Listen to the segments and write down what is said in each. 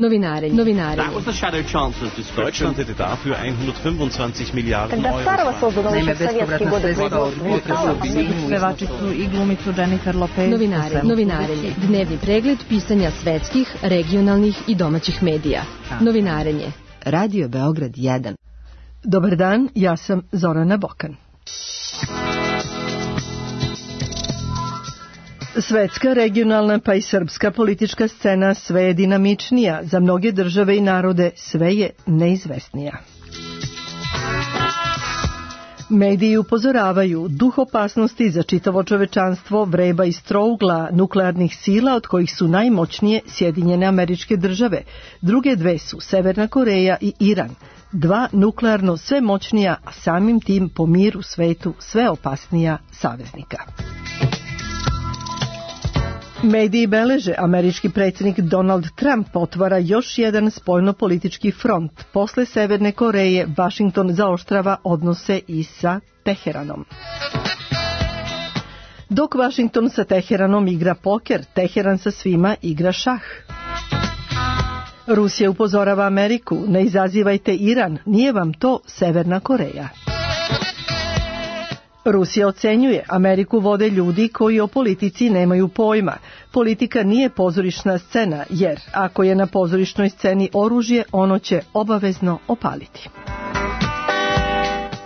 Novinarenje. That was the Shadow Chancellor's description. Deutschland hätte dafür 125 Miliarden Когда Euro. Старого создано еще в советские годы производства. Pevačicu i glumicu Jennifer Lopez. Novinarenje. Dnevni pregled pisanja svetskih, regionalnih i domaćih medija. Novinarenje. Radio Beograd 1. Dobar dan, ja sam Zorana Bokan. Svetska, regionalna pa i srpska politička scena sve je dinamičnija, za mnoge države i narode sve je neizvesnija. Mediji upozoravaju, duh opasnosti za čitavo čovečanstvo vreba iz trougla nuklearnih sila, od kojih su najmoćnije Sjedinjene Američke Države. Druge dve su Severna Koreja i Iran. Dva nuklearno sve moćnija, a samim tim po miru svetu sve opasnija saveznika. Mediji beleže, američki predsjednik Donald Trump otvara još jedan spoljnopolitički front. Posle Severne Koreje, Vašington zaoštrava odnose i sa Teheranom. Dok Vašington sa Teheranom igra poker, Teheran sa svima igra šah. Rusija upozorava Ameriku, ne izazivajte Iran, nije vam to Severna Koreja. Rusija ocenjuje, Ameriku vode ljudi koji o politici nemaju pojma. Politika nije pozorišna scena, jer ako je na pozorišnoj sceni oružje, ono će obavezno opaliti.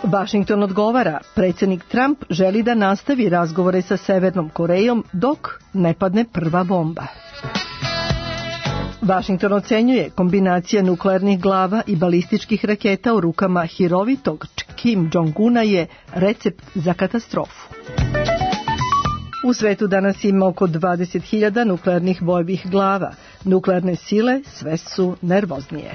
Vašington odgovara, predsjednik Trump želi da nastavi razgovore sa Severnom Korejom dok ne padne prva bomba. Vašington ocenjuje, kombinacija nuklearnih glava i balističkih raketa u rukama hirovitog Kim Jong-una je recept za katastrofu. U svetu danas ima oko 20.000 nuklearnih bojevih glava. Nuklearne sile sve su nervoznije.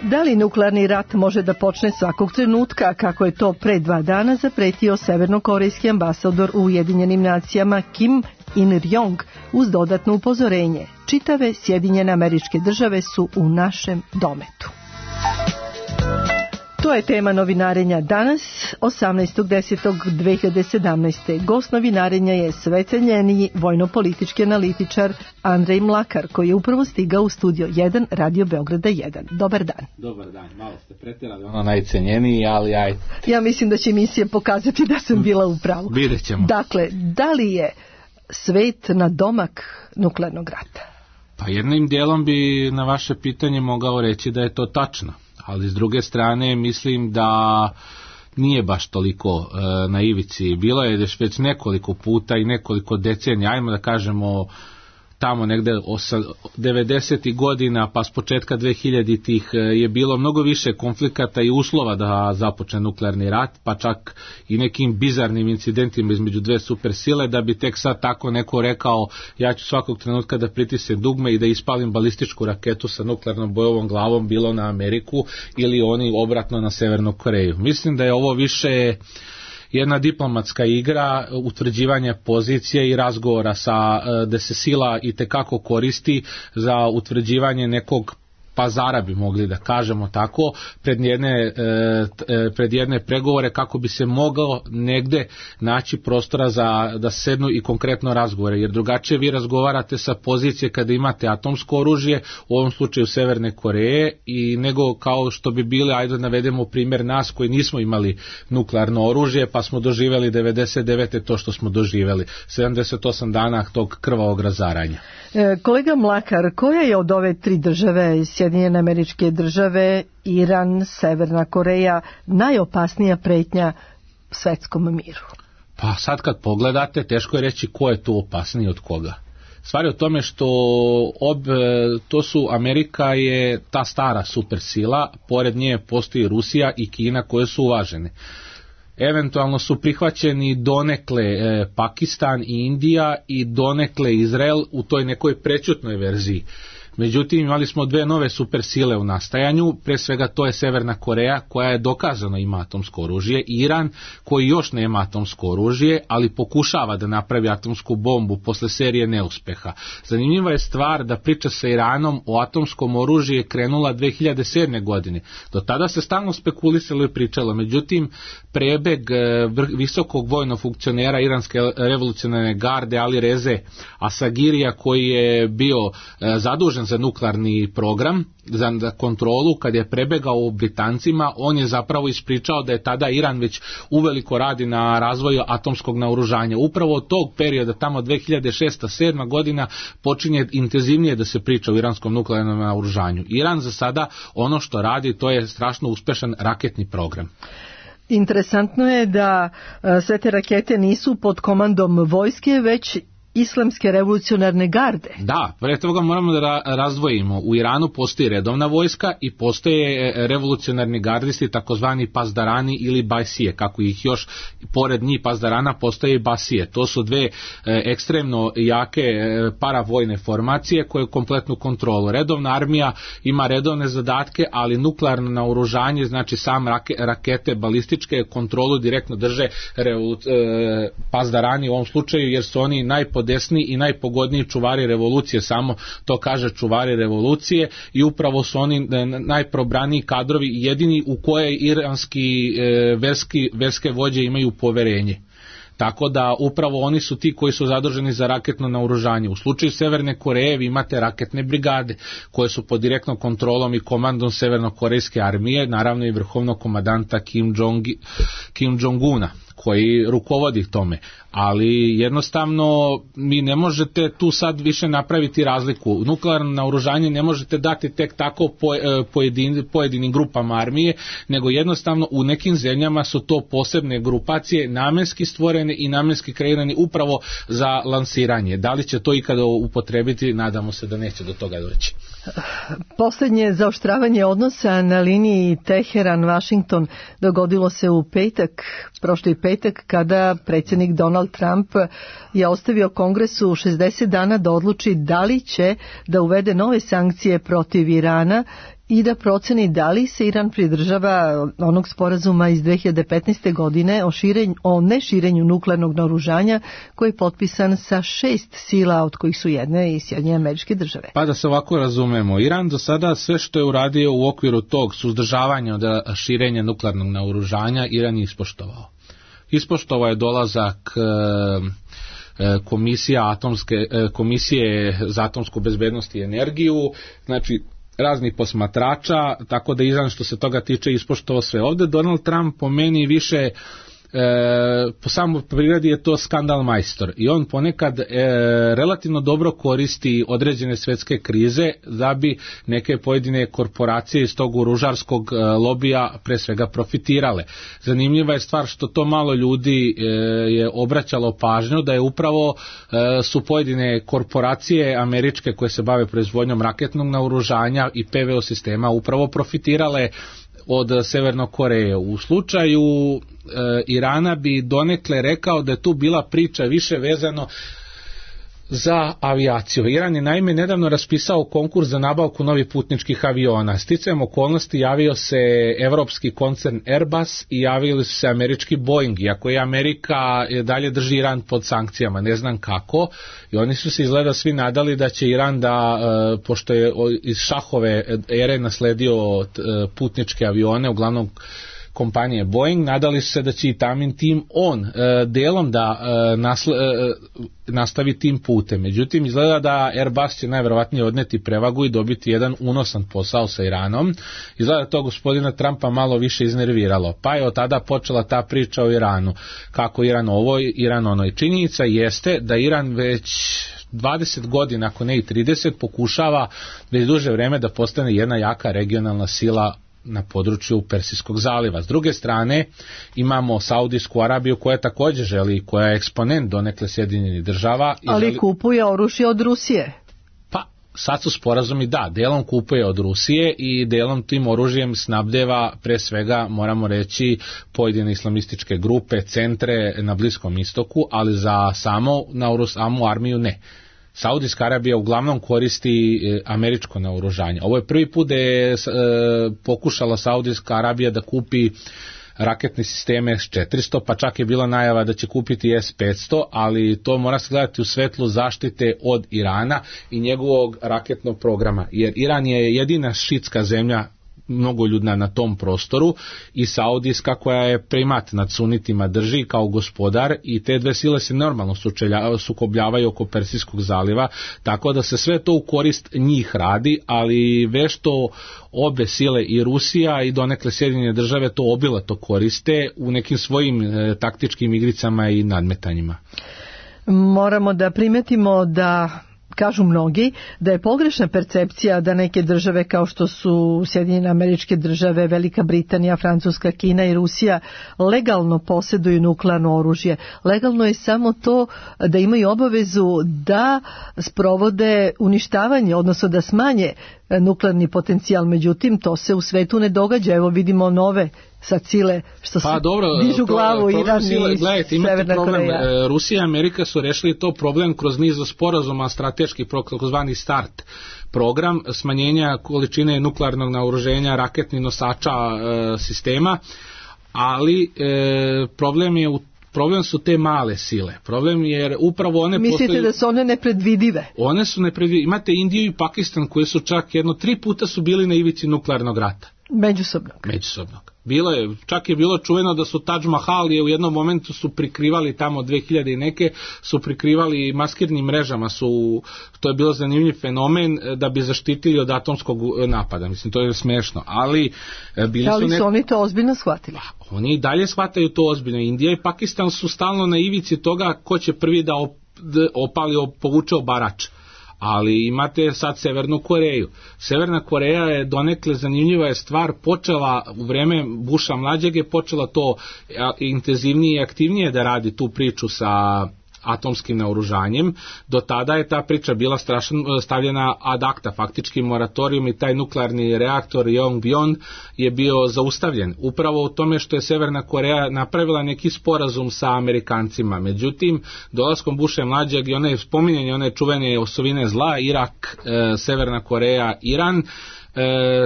Da li nuklearni rat može da počne svakog trenutka, kako je to pre 2 dana zapretio severnokorejski ambasador u Ujedinjenim nacijama Kim In-ryong uz dodatno upozorenje. Čitave Sjedinjene Američke Države su u našem dometu. To je tema novinarenja danas, 18.10.2017. Gost novinarenja je sve cenjeniji vojno-politički analitičar Andrej Mlakar, koji je upravo stigao u studio 1 Radio Beograda 1. Dobar dan. Dobar dan, malo ste pretjerali, ono najcenjeniji, ali ajde. Ja mislim da će emisija pokazati da sam bila u pravu. Vidjet ćemo. Dakle, da li je svet na domak nuklearnog rata? Pa jednim dijelom bi na vaše pitanje mogao reći da je to tačno. Ali s druge strane mislim da nije baš toliko na ivici. Bilo je već nekoliko puta i nekoliko decenija, ajmo da kažemo tamo negde 90. godina pa s početka 2000-ih je bilo mnogo više konflikata i uslova da započne nuklearni rat, pa čak i nekim bizarnim incidentima između dve supersile, da bi tek sad tako neko rekao ja ću svakog trenutka da pritisnem dugme i da ispalim balističku raketu sa nuklearnom bojevom glavom, bilo na Ameriku ili oni obratno na Severnu Koreju. Mislim da je ovo više jedna diplomatska igra, utvrđivanje pozicije i razgovora da se sila itekako koristi za utvrđivanje nekog pazara, bi mogli da kažemo tako, pred jedne pregovore, kako bi se mogao negde naći prostora da sednu i konkretno razgovore, jer drugačije vi razgovarate sa pozicije kada imate atomsko oružje, u ovom slučaju Severne Koreje, i nego kao što bi bili, ajde navedemo primjer nas koji nismo imali nuklearno oružje, pa smo doživjeli 99. to što smo doživjeli, 78 dana tog krvavog razaranja. Kolega Mlakar, koja je od ove 3 države, Sjedinjene Američke Države, Iran, Severna Koreja, najopasnija pretnja svetskom miru? Pa sad kad pogledate, teško je reći ko je tu opasniji od koga. Stvar je u tome što to su, Amerika je ta stara supersila, pored nje postoji Rusija i Kina koje su uvažene. Eventualno su prihvaćeni donekle Pakistan i Indija i donekle Izrael u toj nekoj prećutnoj verziji. Međutim, imali smo 2 nove supersile u nastajanju, pre svega to je Severna Koreja koja je dokazano ima atomsko oružje, i Iran koji još nema atomsko oružje, ali pokušava da napravi atomsku bombu posle serije neuspeha. Zanimljiva je stvar da priča sa Iranom o atomskom oružju je krenula 2007. godine. Do tada se stalno spekulisalo i pričalo, međutim prebeg visokog vojnog funkcionera iranske revolucionarne garde Ali Reze Asagirija, koji je bio zadužen nadležan za nuklearni program, za kontrolu, kad je prebegao Britancima, on je zapravo ispričao da je tada Iran već uveliko radi na razvoju atomskog naoružanja. Upravo od tog perioda, tamo 2006-2007 godina, počinje intenzivnije da se priča o iranskom nuklearnom naoružanju. Iran za sada ono što radi, to je strašno uspešan raketni program. Interesantno je da sve te rakete nisu pod komandom vojske, već Islamske revolucionarne garde. Da, pre toga moramo da razdvojimo. U Iranu postoji redovna vojska i postoje revolucionarni gardisti, takozvani pazdarani ili bajsije, kako ih još pored njih pazdarana postoje i basije. To su dve ekstremno jake paravojne formacije koje kompletnu kontrolu. Redovna armija ima redovne zadatke, ali nuklearno naoružanje, znači sam rakete balističke, kontrolu direktno drže pazdarani u ovom slučaju, jer su oni najpodesniji i najpogodniji čuvari revolucije, samo to kaže čuvari revolucije, i upravo su oni najprobraniji kadrovi, jedini u koje iranski verske vođe imaju poverenje. Tako da upravo oni su ti koji su zaduženi za raketno naoružanje. U slučaju Severne Koreje vi imate raketne brigade koje su pod direktnom kontrolom i komandom severnokorejske armije, naravno i vrhovnog komandanta Kim Jong-una koji rukovodi tome, ali jednostavno mi ne možete tu sad više napraviti razliku. Nuklearno naoružanje ne možete dati tek tako pojedinim grupama armije, nego jednostavno u nekim zemljama su to posebne grupacije namenski stvorene i namenski kreirane upravo za lansiranje. Da li će to ikada upotrebiti, nadamo se da neće do toga doći. Posljednje zaoštravanje odnosa na liniji Teheran-Washington dogodilo se u prošli petak, kada predsjednik Donald Trump je ostavio Kongresu 60 dana da odluči da li će da uvede nove sankcije protiv Irana i da proceni da li se Iran pridržava onog sporazuma iz 2015. godine o neširenju nuklearnog naoružanja koji je potpisan sa 6 sila, od kojih su jedne i Sjedinjene Američke Države. Pa da se ovako razumemo, Iran do sada sve što je uradio u okviru tog suzdržavanja od širenja nuklearnog naoružanja, Iran je ispoštovao. Ispoštovao je dolazak komisije za atomsku bezbednost i energiju, znači raznih posmatrača, tako da Iran što se toga tiče ispoštovao sve. Ovdje Donald Trump po meni više po samoj prirodi je to skandal majstor i on ponekad relativno dobro koristi određene svetske krize da bi neke pojedine korporacije iz tog oružarskog lobija pre svega profitirale. Zanimljiva je stvar što to malo ljudi je obraćalo pažnju da je upravo su pojedine korporacije američke koje se bave proizvodnjom raketnog naoružanja i PVO sistema upravo profitirale od Severne Koreje. U slučaju Irana bi donekle rekao da je tu bila priča više vezano za avijaciju. Iran je naime nedavno raspisao konkurs za nabavku novih putničkih aviona. Sticajem okolnosti javio se evropski koncern Airbus i javili su se američki Boeing, iako je Amerika dalje drži Iran pod sankcijama, ne znam kako, i oni su se izgleda svi nadali da će Iran da, pošto je iz šahove ere nasledio putničke avione, uglavnom kompanije Boeing, nadali su se da će i Tamin tim delom da nastavi tim putem. Međutim, izgleda da Airbus će najverovatnije odneti prevagu i dobiti jedan unosan posao sa Iranom. Izgleda to gospodina Trumpa malo više iznerviralo. Pa je od tada počela ta priča o Iranu. Kako Iran ovo, Iran ono. I činjenica jeste da Iran već 20 godina, ako ne i 30, pokušava već duže vreme da postane jedna jaka regionalna sila na području Persijskog zaliva. S druge strane imamo Saudijsku Arabiju koja također želi, koja je eksponent donekle Sjedinjenih Država. Ali kupuje oružje od Rusije. Pa sad su sporazumi, da, delom kupuje od Rusije i delom tim oružjem snabdeva pre svega, moramo reći, pojedine islamističke grupe, centre na Bliskom istoku, ali za samu armiju ne. Saudijska Arabija uglavnom koristi američko naoružanje. Ovo je prvi put da je pokušala Saudijska Arabija da kupi raketne sisteme S-400, pa čak je bila najava da će kupiti S-500, ali to mora se gledati u svetlu zaštite od Irana i njegovog raketnog programa, jer Iran je jedina šitska zemlja mnogoljudna na tom prostoru, i saudijska koja je primat nad sunitima drži kao gospodar, i te dve sile se normalno sukobljavaju oko Persijskog zaliva, tako da se sve to u korist njih radi, ali vešto obe sile, i Rusija i donekle Sjedinjene države, to obilato koriste u nekim svojim taktičkim igricama i nadmetanjima. Moramo da primetimo da, kažu mnogi, da je pogrešna percepcija da neke države kao što su Sjedinjene Američke Države, Velika Britanija, Francuska, Kina i Rusija legalno posjeduju nuklearno oružje. Legalno je samo to da imaju obavezu da sprovode uništavanje, odnosno da smanje nuklearni potencijal. Međutim, to se u svetu ne događa. Evo vidimo nove sad sile što se dižu glavu, Iran i Severna Koreja. Rusija i Amerika su rešili to problem kroz niz sporazuma strateški, takozvani START program, smanjenja količine nuklearnog naoružanja, raketnih nosača sistema, ali problem su te male sile. Problem je jer upravo one Mislite da su one nepredvidive? One su nepredvidive. Imate Indiju i Pakistan koji su čak 3 puta su bili na ivici nuklearnog rata. Međusobnog. Čak je bilo čuveno da su Taj Mahal je u jednom momentu su prikrivali tamo 2000 i neke, su prikrivali maskirnim mrežama, to je bilo zanimljiv fenomen da bi zaštitili od atomskog napada. Mislim, to je smešno, ali su oni to ozbiljno shvatili? Oni i dalje shvataju to ozbiljno. Indija i Pakistan su stalno na ivici toga ko će prvi da povuče obarač. Ali imate sad Severnu Koreju. Severna Koreja je donekle zanimljiva je stvar, počela u vreme Busha mlađeg je počela to intenzivnije i aktivnije da radi tu priču sa atomskim naoružanjem. Do tada je ta priča bila stavljena ad acta, faktički moratorijum, i taj nuklearni reaktor Yongbyon je bio zaustavljen. Upravo u tome što je Severna Koreja napravila neki sporazum sa Amerikancima. Međutim, dolaskom Busha mlađeg i spominjanje one čuvene osovine zla, Irak, Severna Koreja, Iran,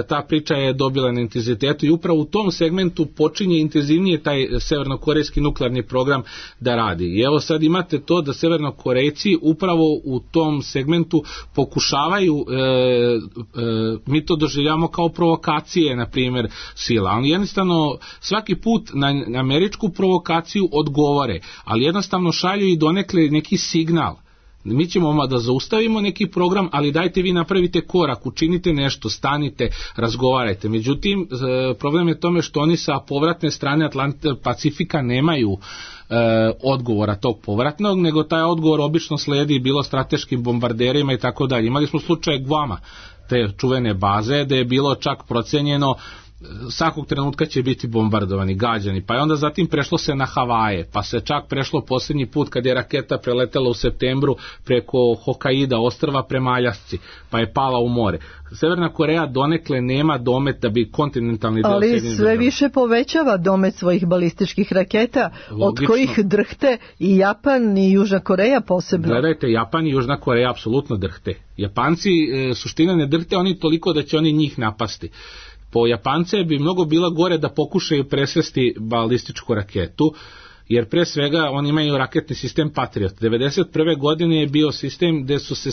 ta priča je dobila na intenzitetu i upravo u tom segmentu počinje intenzivnije taj severnokorejski nuklearni program da radi. I evo sad imate to da Severnokorejci upravo u tom segmentu pokušavaju, mi to doživljamo kao provokacije, na primjer, sila. Oni jednostavno svaki put na američku provokaciju odgovore, ali jednostavno šalju i donekle neki signal. Mi ćemo da zaustavimo neki program, ali dajte vi napravite korak, učinite nešto, stanite, razgovarajte. Međutim, problem je tome što oni sa povratne strane Pacifika nemaju odgovora tog povratnog, nego taj odgovor obično sledi bilo strateškim bombarderima i tako dalje. Imali smo slučaj Guama, te čuvene baze, da je bilo čak procenjeno svakog trenutka će biti bombardovani, gađani, pa je onda zatim prešlo se na Havaje, pa se čak prešlo posljednji put kad je raketa preletela u septembru preko Hokkaida ostrva prema Aljasci, pa je pala u more. Severna Koreja donekle nema domet da bi kontinentalni deo ali sve više povećava domet svojih balističkih raketa, logično, od kojih drhte i Japan i Južna Koreja posebno. Gledajte, Japan i Južna Koreja apsolutno drhte. Japanci suština ne drhte oni toliko da će oni njih napasti. Po Japance bi mnogo bilo gore da pokušaju presvesti balističku raketu, jer pre svega oni imaju raketni sistem Patriot. 1991. godine je bio sistem gde su se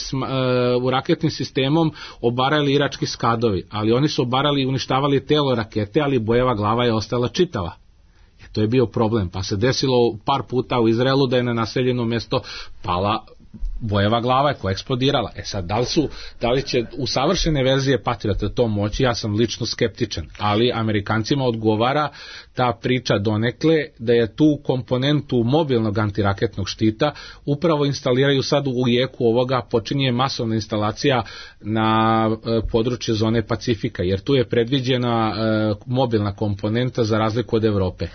u raketnim sistemom obarali irački Skadovi, ali oni su obarali i uništavali telo rakete, ali bojeva glava je ostala čitava. To je bio problem, pa se desilo par puta u Izraelu da je na naseljeno mjesto pala bojeva glava koja je eksplodirala. Sad, da li će u savršene verzije Patriota to moći, ja sam lično skeptičan, ali Amerikancima odgovara ta priča donekle da je tu komponentu mobilnog antiraketnog štita upravo instaliraju sad u jeku ovoga, počinje masovna instalacija na području zone Pacifika, jer tu je predviđena mobilna komponenta za razliku od Evrope.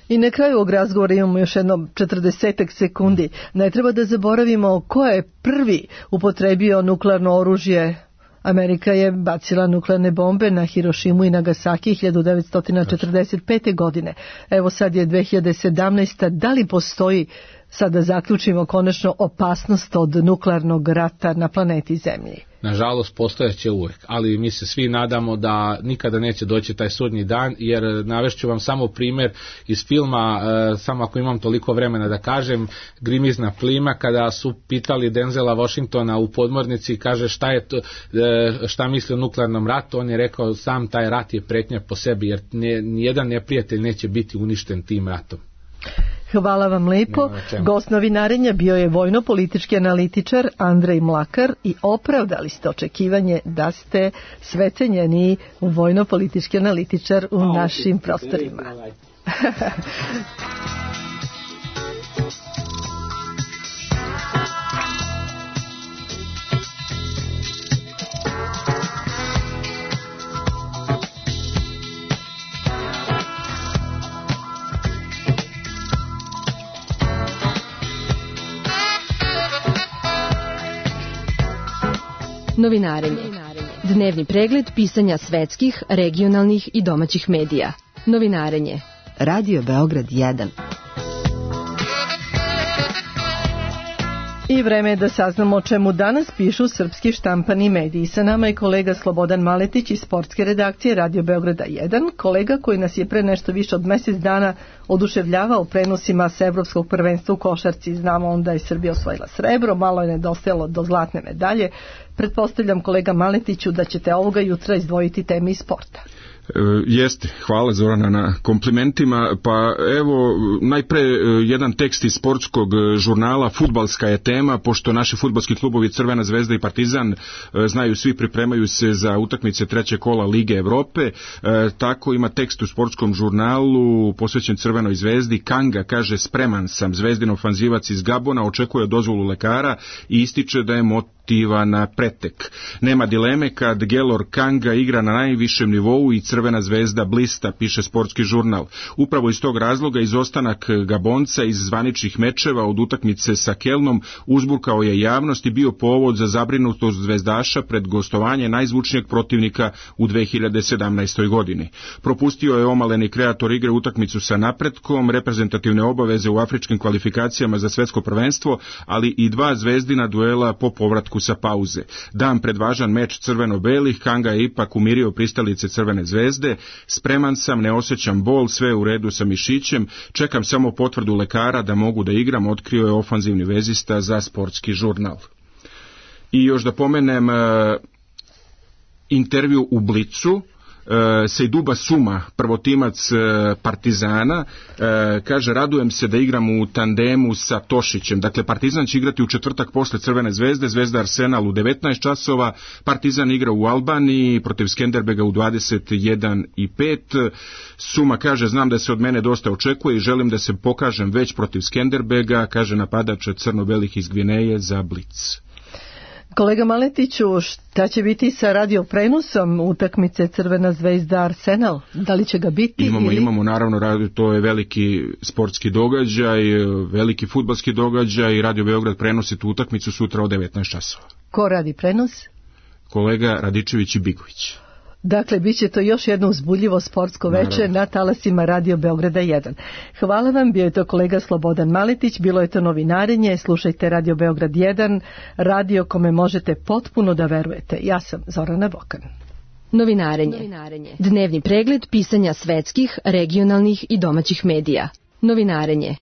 I na kraju ovog razgovora imamo još jedno 40 sekundi. Ne treba da zaboravimo ko je prvi upotrebio nuklearno oružje. Amerika je bacila nuklearne bombe na Hirošimu i Nagasaki 1945. godine. Evo sad je 2017. Da li postoji, sad da zaključimo konačno, opasnost od nuklearnog rata na planeti Zemlji? nažalost postojaće uvek, ali mi se svi nadamo da nikada neće doći taj sudnji dan, jer navešću vam samo primjer iz filma, samo ako imam toliko vremena da kažem, Grimizna plima, kada su pitali Denzela Washingtona u podmornici, kaže šta misli o nuklearnom ratu, on je rekao sam taj rat je pretnja po sebi, jer nijedan neprijatelj neće biti uništen tim ratom. Hvala vam lepo. Gost Novinarenja bio je vojno-politički analitičar Andrej Mlakar i opravdali ste očekivanje da ste sve cenjeniji vojno-politički analitičar u našim prostorima. Novinarenje. Dnevni pregled pisanja svetskih, regionalnih i domaćih medija. Novinarenje. Radio Beograd 1. I vreme je da saznamo o čemu danas pišu srpski štampani mediji. Sa nama je kolega Slobodan Maletić iz sportske redakcije Radio Beograda 1, kolega koji nas je pre nešto više od mjesec dana oduševljavao prenosima s Evropskog prvenstva u košarci. Znamo onda je Srbija osvojila srebro, malo je nedostajalo do zlatne medalje. Pretpostavljam, kolega Maletiću, da ćete ovoga jutra izdvojiti teme iz sporta. Jeste, hvala Zorana na komplimentima. Pa evo, najpre jedan tekst iz sportskog žurnala, fudbalska je tema, pošto naši fudbalski klubovi Crvena zvezda i Partizan, znaju svi, pripremaju se za utakmice trećeg kola Lige Evrope. Tako ima tekst u sportskom žurnalu posvećen Crvenoj zvezdi. Kanga kaže: spreman sam, zvezdin ofanzivac iz Gabona očekuje dozvolu lekara i ističe da je na pretek. Nema dileme kad Gelor Kanga igra na najvišem nivou i Crvena zvezda blista, piše sportski žurnal. Upravo iz tog razloga izostanak Gabonca iz zvaničnih mečeva od utakmice sa Kelnom uzburkao je javnost i bio povod za zabrinutost zvezdaša pred gostovanje najzvučnijeg protivnika u 2017. godini. Propustio je omaleni kreator igre utakmicu sa Napretkom, reprezentativne obaveze u afričkim kvalifikacijama za svetsko prvenstvo, ali i dva zvezdina duela po povratku sa pauze. Dan pred važan meč crveno-belih, Kanga je ipak umirio pristalice Crvene zvezde. Spreman sam, ne osjećam bol, sve u redu sa mišićem, čekam samo potvrdu lekara da mogu da igram, otkrio je ofanzivni vezista za sportski žurnal. I još da pomenem intervju u Blicu, Sejduba Suma, prvotimac Partizana, kaže: radujem se da igram u tandemu sa Tošićem. Dakle, Partizan će igrati u četvrtak posle Crvene zvezde, Zvezda Arsenal u 19 časova, Partizan igra u Albaniji protiv Skenderbega u 21:05. Suma kaže: znam da se od mene dosta očekuje i želim da se pokažem već protiv Skenderbega, kaže napadač crno-belih iz Gvineje za Blic. Kolega Maletiću, šta će biti sa radioprenosom utakmice Crvena zvezda Arsenal? Da li će ga biti? Imamo naravno, to je veliki sportski događaj, veliki fudbalski događaj i Radio Beograd prenosi tu utakmicu sutra od 19 časova. Ko radi prenos? Kolega Radičević i Bigović. Dakle, bit će to još jedno uzbudljivo sportsko veče na talasima Radio Beograda 1. Hvala vam, bio je to kolega Slobodan Maletić, bilo je to Novinarenje, slušajte Radio Beograd 1, radio kome možete potpuno da verujete. Ja sam Zorana Bokan. Novinarenje. Dnevni pregled pisanja svetskih, regionalnih i domaćih medija. Novinarenje.